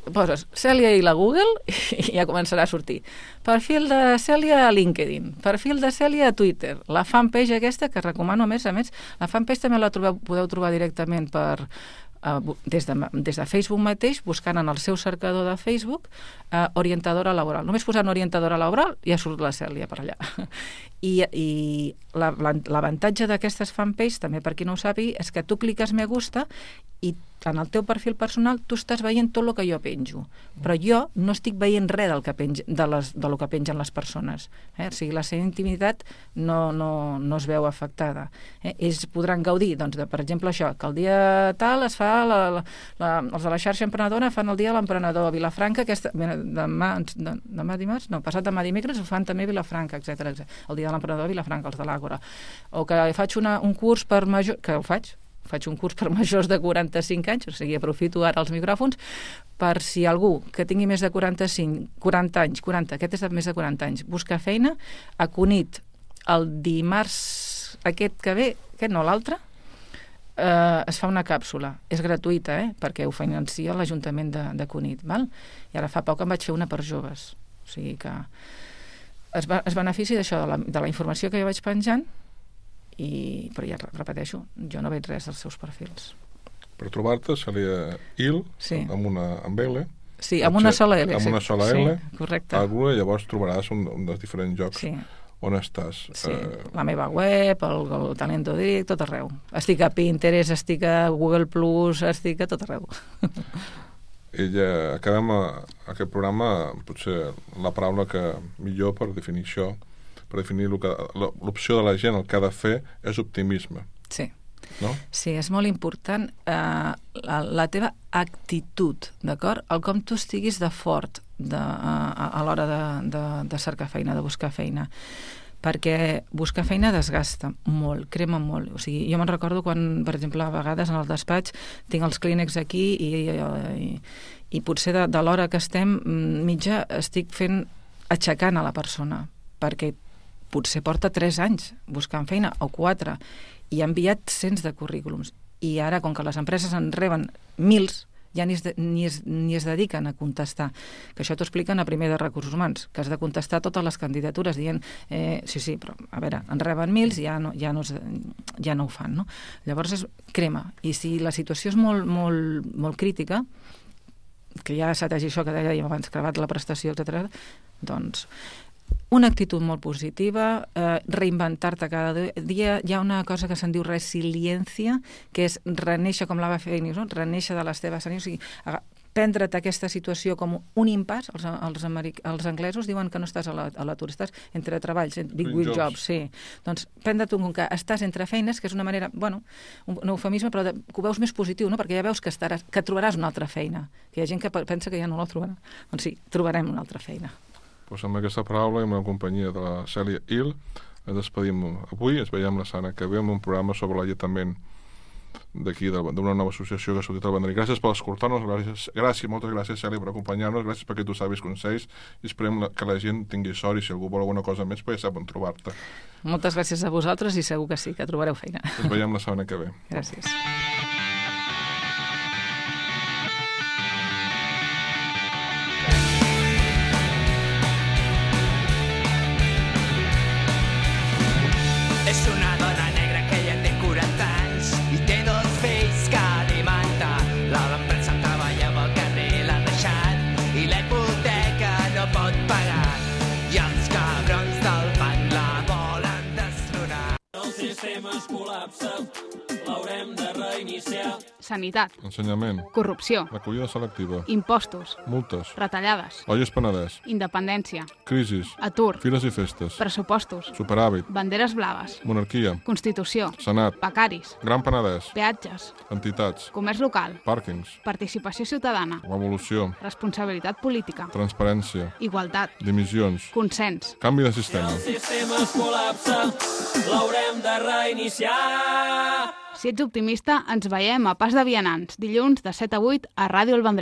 poses Cèlia i la Google i ja començarà a sortir. Perfil de Cèlia a LinkedIn, perfil de Cèlia a Twitter, la fanpage aquesta, que recomano a més a més, la fanpage també la trobeu, podeu trobar directament per... Uh, des, de, des de Facebook mateix, buscant en el seu cercador de Facebook uh, orientadora laboral. Només posant orientadora laboral ja surt la Cèlia per allà. I, i l'avantatge d'aquestes fanpage, també per qui no ho sàpiga, és que tu cliques me gusta i en el teu perfil personal tu estàs veient tot el que jo penjo, però jo no estic veient res del que penj, de, les, de lo que pengen les persones. Eh? O sigui, la seva intimitat no, no, no es veu afectada. Eh? Ells podran gaudir, doncs, de, per exemple, això, que el dia tal es fa, la, la, la, els de la xarxa emprenedora fan el dia de l'emprenedor a Vilafranca, aquesta, demà, demà dimarts, no, passat demà dimecres ho fan també a Vilafranca, etcètera, etcètera. El dia de l'emprenedor a Vilafranca, els de l'Àgora. O que faig una, un curs per major, que ho faig, faig un curs per majors de quaranta-cinc anys, o sigui, aprofito ara els micròfons, per si algú que tingui més de quaranta-cinc, quaranta anys, quaranta, aquest és de més de quaranta anys, busca feina, a Cunit, el dimarts aquest que ve, aquest no, l'altre, eh, es fa una càpsula. És gratuïta, eh, perquè ho financia l'Ajuntament de, de Cunit, val? I ara fa poc em vaig fer una per joves. O sigui que es, va, es benefici d'això, de la, de la informació que jo vaig penjant, i, però ja repeteixo, jo no veig res dels seus perfils.
Per trobar-te seria il, sí. amb una amb L.
Sí, amb una sola L.
Amb una sola L.
Sí, correcte.
Alguna, llavors trobaràs un, un dels diferents llocs sí. on estàs.
Sí, eh... la meva web, el, el Talento Direct, tot arreu. Estic a Pinterest, estic a Google plus, estic a tot arreu.
I ja acabem a, a aquest programa, potser la paraula que millor per definir això, per definir l'opció de la gent, el que ha de fer és optimisme.
Sí.
No?
Sí, és molt important eh, la, la teva actitud, d'acord? El com tu estiguis de fort de, a, a l'hora de, de, de cercar feina, de buscar feina. Perquè buscar feina desgasta molt, crema molt. O sigui, jo me'n recordo quan, per exemple, a vegades en el despatx tinc els clínex aquí i, i, i potser de, de l'hora que estem mitja estic fent aixecant a la persona, perquè potser porta tres anys buscant feina, o quatre, i ha enviat cents de currículums. I ara, com que les empreses en reben mils, ja ni es, de, ni, es, ni es dediquen a contestar. Que això t'ho expliquen a primer de recursos humans, que has de contestar totes les candidatures dient, eh, sí, sí, però a veure, en reben mils, ja no, ja no, es, ja no ho fan, no? Llavors és crema. I si la situació és molt, molt, molt crítica, que ja s'ha d'agir això que dèiem abans, acabat la prestació, etcètera, doncs una actitud molt positiva, eh, reinventar-te cada dia. Hi ha una cosa que se'n diu resiliència, que és renéixer, com l'Ava Phoenix, no? Renéixer de les teves ànims, o sigui, prendre't aquesta situació com un impàs. Els, els, americ... els anglesos diuen que no estàs a l'atur, estàs entre treballs, big with jobs. jobs, sí. Doncs prendre't un que estàs entre feines, que és una manera, bueno, un, un eufemisme, però de, que ho veus més positiu, no? Perquè ja veus que, estaràs, que trobaràs una altra feina. Que hi ha gent que pensa que ja no la trobarà. Doncs sí, trobarem una altra feina.
Pues amb aquesta paraula i amb la companyia de la Cèlia Hill ens despedim avui, ens veiem la setmana que ve amb un programa sobre l'alletament d'aquí, d'una nova associació que ha sortit al Vendrell. Gràcies per escoltar-nos, gràcies, gràcies, moltes gràcies Cèlia per acompanyar-nos, gràcies per aquests savis consells i esperem que la gent tingui sort i si algú vol alguna cosa més pues ja sap on trobar-te.
Moltes gràcies a vosaltres i segur que sí, que trobareu feina.
Ens veiem la setmana que ve.
Gràcies.
És una dona negra que ja té quaranta anys i té dos fills que alimenta. L'empresa treballa amb el carrer l'ha deixat i la hipoteca no pot pagar. I els cabrons del banc la volen destronar.
El sistema es col·lapsa, l'haurem de reiniciar.
Sanitat,
Ensenyament,
corrupció,
recollida selectiva,
impostos,
multes,
retallades,
Olles Penedès,
independència,
crisis,
atur,
fires i festes,
pressupostos,
superàvit,
banderes blaves,
monarquia,
Constitució,
Senat,
becaris,
Gran Penedès,
peatges,
entitats,
comerç local,
pàrquings,
participació ciutadana,
revolució,
responsabilitat política,
transparència,
igualtat,
dimissions,
consens.
canvi de sistema.
El sistema es col·lapsa, l'haurem de reiniciar.
Si ets optimista, ens veiem a Pas de Vianants, dilluns de set a vuit a Ràdio El Vendrell.